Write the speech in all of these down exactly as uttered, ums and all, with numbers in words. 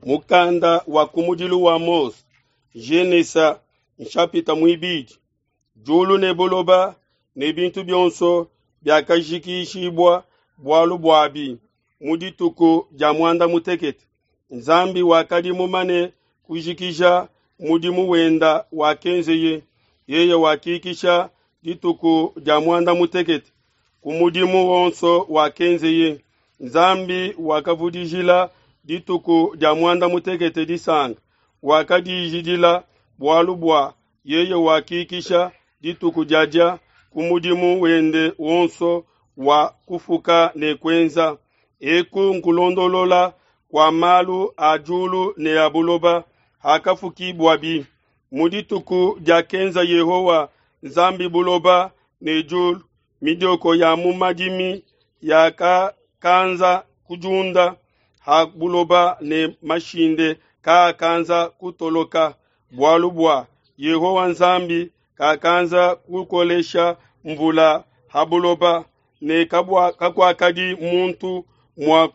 Mukanda wa kumudilu wa Mose, Genesa nshapita muibidi. Diulu ne buloba ne bintu bionso biakajikishibua bualu buabi mu dituku dia muanda mutekete. Nzambi wakadi mumane kujikija mudimu wenda wakenzeye, yeye wakikisha dituku dia muanda mutekete ku mudimu wonso wakenzeye. Nzambi wakavudijila dituku dia muanda mutekete disanka, wakadijidila bualu bua yeye wakikisha dituku diadia ku mudimu wende wonso wa kufuka ne kuenza. Eku nkulondolola kua malu a diulu ne a buloba hakafukibuabi mu dituku diakenza Yehowa Nzambi buloba ne diulu, midioko ya mu madimi yakakanza kudiunda ha buloba ne mashinde kaakanza kutoloka, bualu bua Yehowa Nzambi kakanza kukolesha mvula ha buloba, ne kakuakadi muntu mua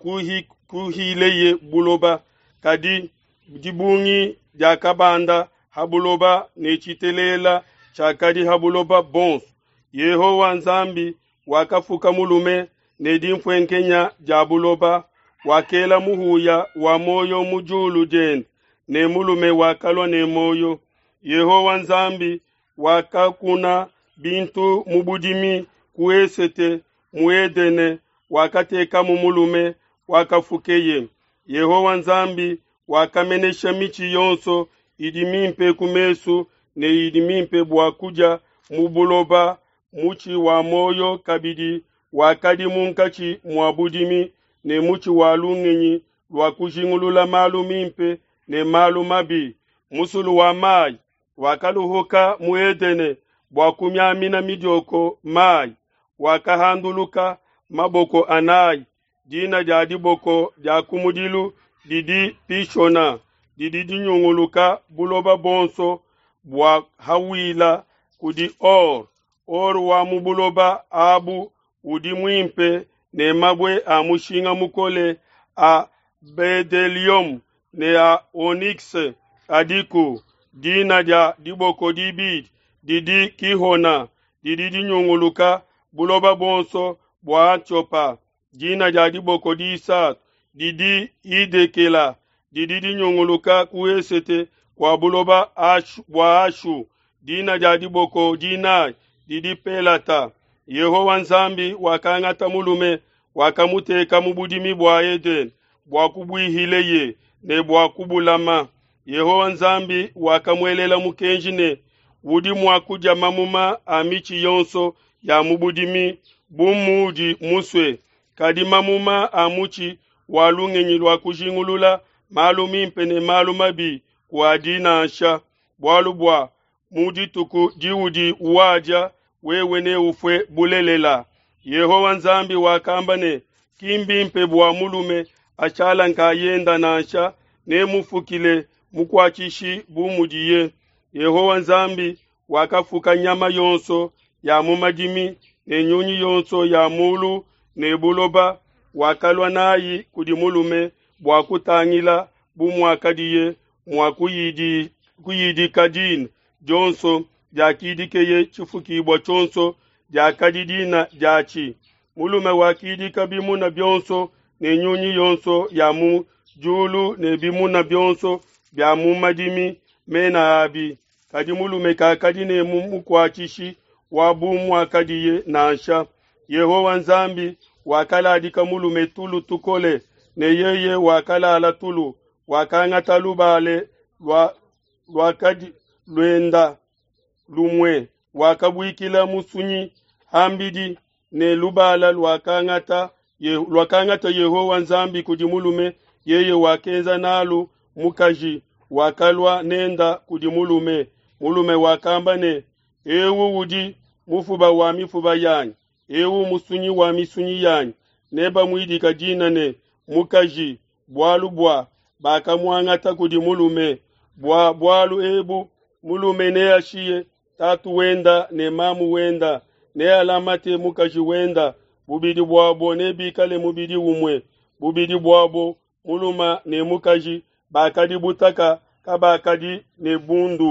kuhileye buloba, kadi dibungi diakabanda ha buloba ne tshitelela tshiakadi ha buloba bonso. Yehowa Nzambi wakafuka mulume ne dimfuenkenya dia buloba, wakela muhuya wa muoyo mu diulu diende, ne mulume wakalua ne muoyo. Yehowa Nzambi wakakuna bintu mu budimi ku esete mu Edene, wakatekamu mulume wakafukeye. Yehowa Nzambi wakamenesha mitshi yonso idi mimpe ku mesu ne idi mimpe bua kudia mu buloba. Mutshi wa muoyo kabidi wakadi munkatshi mua budimi, ne mutshi wa lungenyi lua kujingulula malu mimpe ne malu mabi. Musulu wa mayi wakaluhuka mu Edene bua kumiamina midioko mayi, wakahanduluka maboko anayi. Dina dia diboko dia kumudilu didi Pishona, didi dinyunguluka buloba bonso bua Hawila kudi or. Or wa mu buloba abu udi muimpe ne mabue a mushinga mukole a bedelium ne a onyx adiku. Dina dia diboko dibidi didi Kihona, didi dinyunguluka buloba bonso bua Atiopa. Dina dia diboko disatu didi Idekela, didi dinyunguluka ku esete kua buloba Ashu, bua Ashu. Dina dia diboko dinayi didi Pelata. Yehowa Nzambi wakangata mulume, wakamuteka mu budimi bua Edene bua kubuihileye ne bua kubulama. Yehowa Nzambi wakamuelela mukenji ne, udi mua kudia mamuma a mitshi yonso ya mu budimi bu muudi musue, kadi mamuma a mutshi wa lungenyi lua kujingulula malu mimpe ne malu mabi kuadi nansha, bualu bua mu dituku diudi wadia wewe neufue bulelela. Yehowa Nzambi wakamba ne, ki mbimpe bua mulume ashala nkayenda nansha, nemufukile mukuatshishi bu mudiye. Yehowa Nzambi wakafuka nyama yonso ya mu madimi ne nyunyi yonso ya mulu ne buloba, wakalua nayi kudi mulume bua kutangila bu muakadiye mua kuyidi kuyidika dina dionso diakidikeye tshifukibua tshionso diakadi dina diatshi. Mulume wakidika bimuna bionso ne nyunyi yonso ya mu diulu ne bimuna bionso bia mu madimi mena abi, kadi mulume kakadi ne mukuatshishi wa bu muakadiye nansha. Yehowa Nzambi wakaladika mulume tulu tukole, ne yeye wakalala tulu, wakangata lubale lua luakadi luenda lumue, wakabuikila musunyi hambidi, ne lubala luakangata luakangata Yehowa Nzambi kudi mulume, yeye wakenza nalu mukaji, wakalua nenda kudi mulume. Mulume wakamba ne, ewu udi mufuba wa mifuba yanyi, ewu musunyi wa misunyi yanyi, nebamuidika dina ne mukaji, bualu bua bakamuangata kudi mulume. Bua bualu ebu mulume neashiye tatu wenda ne mamu wenda, nealamate mukaji wenda, bubidi buabo nebikale mubidi umue. Bubidi buabo mulume ne mukaji bakadi butaka, kabakadi ne bundu.